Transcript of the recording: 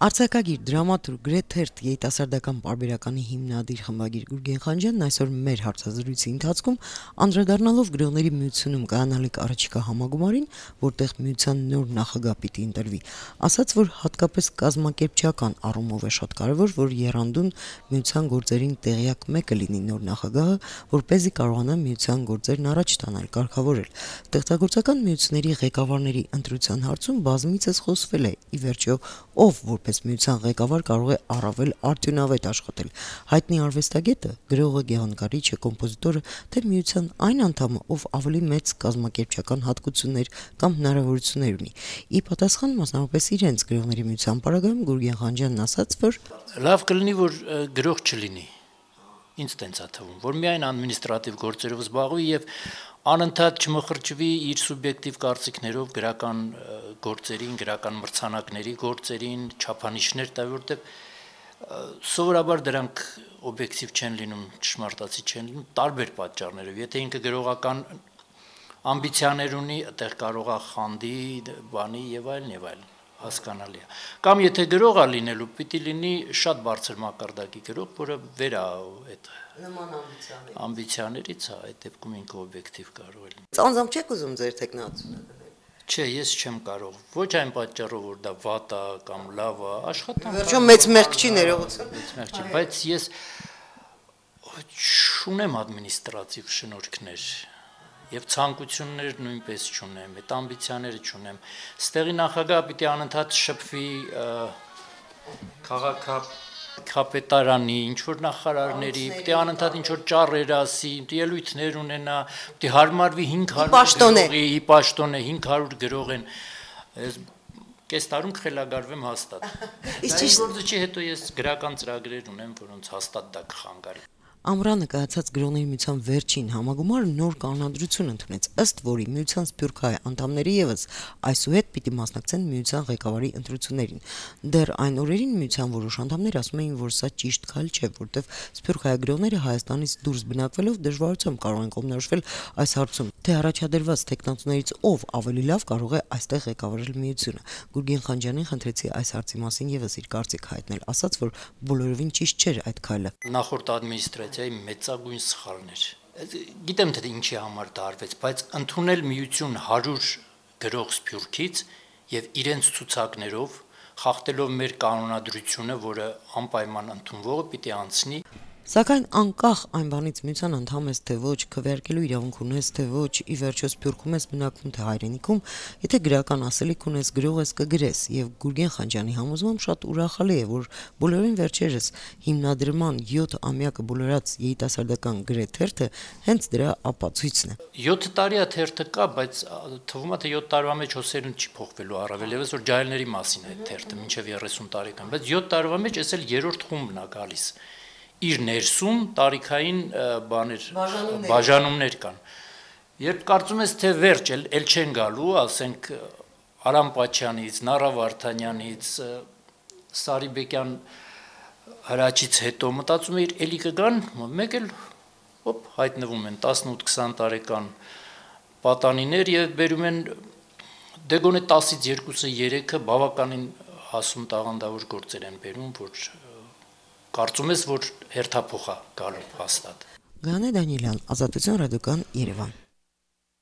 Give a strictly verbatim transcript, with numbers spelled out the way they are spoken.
Արձակագիր, դրամատուրգ, գրեթերթ, երիտասարդական պարբերականի հիմնադիր խմբագիր Գուրգեն Խանջյանն այսօր մեր հարցազրույցի ընթացքում անդրադառնալով գրողների միությունում կայանալիք առաջիկա համագումարին, որտեղ միության նոր նախագահ պիտի ընտրվի, ասաց, որ հատկապես կազմակերպչական առումով է շատ կարևոր, որ եռանդուն միության գործերին տեղյակ մեկը լինի նոր նախագահը, որպեսզի կարողանա միության գործերն առաջ տանել, կարգավորել։ Ստեղծագործական միությունների ղեկավարների ընտրության հարցում բազմիցս խոսվել է, ի վերջո, ով որպես միության ղեկավար կարող է առավել արդյունավետ աշխատել։ Հայտնի արվեստագետը, գրողը, գեղանկարիչը, կոմպոզիտորը, թե միության այն անդամը, ով ավելի մեծ կազմակերպչական հատկություններ կամ հնարավորություններ ունի։ Ի պատասխան մասնավորապես իրենց գրողների միության պարագայում Գուրգեն Խանջյանն ասաց, որ լավ կլինի, որ գրող չլինի։ Ինձ տենց է թվում, որ միայն ադմինիստրատիվ գործերով զբաղվի եւ անընդհատ չմխրճվի իր սուբյեկտիվ կարծիքներով գրական գործերին, գրական մրցանակների գործերին, չափանիշներ տա, որտեղ սովորաբար դրանք օբյեկտիվ չեն լինում, ճշմարտացի չեն լինում, տարբեր պատճառներով։ Եթե ինքը գրողական ամբիցիաներ ունի, այդտեղ կարող է խանդի, բանի եւ այլն եւ այլն, հասկանալի է։ Կամ եթե գրող է լինելու, պիտի լինի շատ բարձր մակարդակի գրող, որը վեր է այդ նման ամբիցիաներ։ Ամբիցիաներից է, այդ դեպքում ինքը օբյեկտիվ կարող է լինել։ Անձամբ չեք ուզում ձեր տեխնացությունը դնել։ Չէ, ես չեմ կարող։ Ոչ այն պատճառով, որ դա վատ է կամ լավ է, աշխատանք։ Վերջում մեծ մեղք չի ներողություն։ Մեծ մեղք չի, բայց ես չունեմ ադմինիստրատիվ շնորհքներ եւ ցանկություններ նույնպես չունեմ, այդ ամբիցիաները չունեմ։ Ստեղի նախագահը պիտի անընդհատ շփվի քաղաքը կապետարանի, ինչ-որ նախարարների, պիտի անընդհատ ինչ-որ ճառեր ասի, ելույթներ ունենա, պիտի հարմարվի հինգ հարյուր գրողի, ի պաշտոն է հինգ հարյուր գրող են, կես տարում կխելագարվեմ հաստատ։ Իսկ գործը չի, հետո ես գրական ծրագրեր ունեմ, որոնց հաստատ դա կխանգարի։ Ամռանը կայացած գրողների միության վերջին համագումարը նոր կանոնադրություն ընդունեց, ըստ որի միության սփյուռքահայ անդամները ևս այսուհետ պիտի մասնակցեն միության ղեկավարի ընտրություններին։ Դեռ այն օրերին միության որոշ անդամներ ասում էին, որ սա ճիշտ քայլ չէ, որտեղ սփյուռքահայ գրողները Հայաստանից դուրս բնակվելով դժվարությամբ կարող են կողմնորոշվել այս հարցում, թե առաջադրված տեխնացուներից ով ավելի լավ կարող է այստեղ ղեկավարել միությունը։ Գուրգեն Խանջյանին խնդրեցի այս հարցի մասին ևս իր կարծիք հայտնել, ասաց, որ բոլորովին ճիշտ չէր այդ քայլը։ Նախորդ ադմինիստրացիայի մեծագույն սխալներ։ Գիտեմ թե ինչի համար դա արվեց, բայց ընդունել միություն հարյուր գրող սփյուռքից եւ իրենց ցուցակներով խախտելով մեր կանոնադրությունը, որը անպայման ընդունվողը պիտի անցնի։ Սակայն անկախ այն բանից միության անդամ ես թե ոչ, քվեարկելու իրավունք ունես թե ոչ, ի վերջո սփյուռքում ես բնակվում թե հայրենիքում, եթե գրական ասելիք ունես, գրող ես կգրես, եւ Գուրգեն Խանջյանի համոզմամբ շատ ուրախալի է, որ բոլորին վերջերս հիմնադրման յոթ ամյակը բոլորած երիտասարդական գրեթերթը հենց դրա ապացույցն է։ յոթ տարի է թերթը կա, բայց թվում է թե յոթ տարվա մեջ հոսերուն չի փոխվելու, առավել եւս որ ջահելների մասին է թերթը, մինչեւ երեսուն տարեկան, բայց յոթ տարվա մեջ էս էլ երրորդ խումբն է գալիս։ Իր ներսում տարիքային բաներ, բաժանումներ կան։ Երբ կարծում ես թե վերջ էլ, էլ չեն գալու, ասենք Արամ Պաչյանից, Նարա Վարդանյանից, Սարիբեկյան հրաչից հետո մտածում էիր էլի կգան, մեկ էլ հոպ հայտնվում են տասնութ քսան տարեկան պատանիներ եւ բերում են դեգոնե տասից երկուսը երեքը բավականին հասուն տաղանդավոր գործեր են բերում, որ կարծում ես, որ հերթափոխ է գալու հաստատ։ Գանե Դանիելյան, Ազատություն ռադիոկան, Երևան։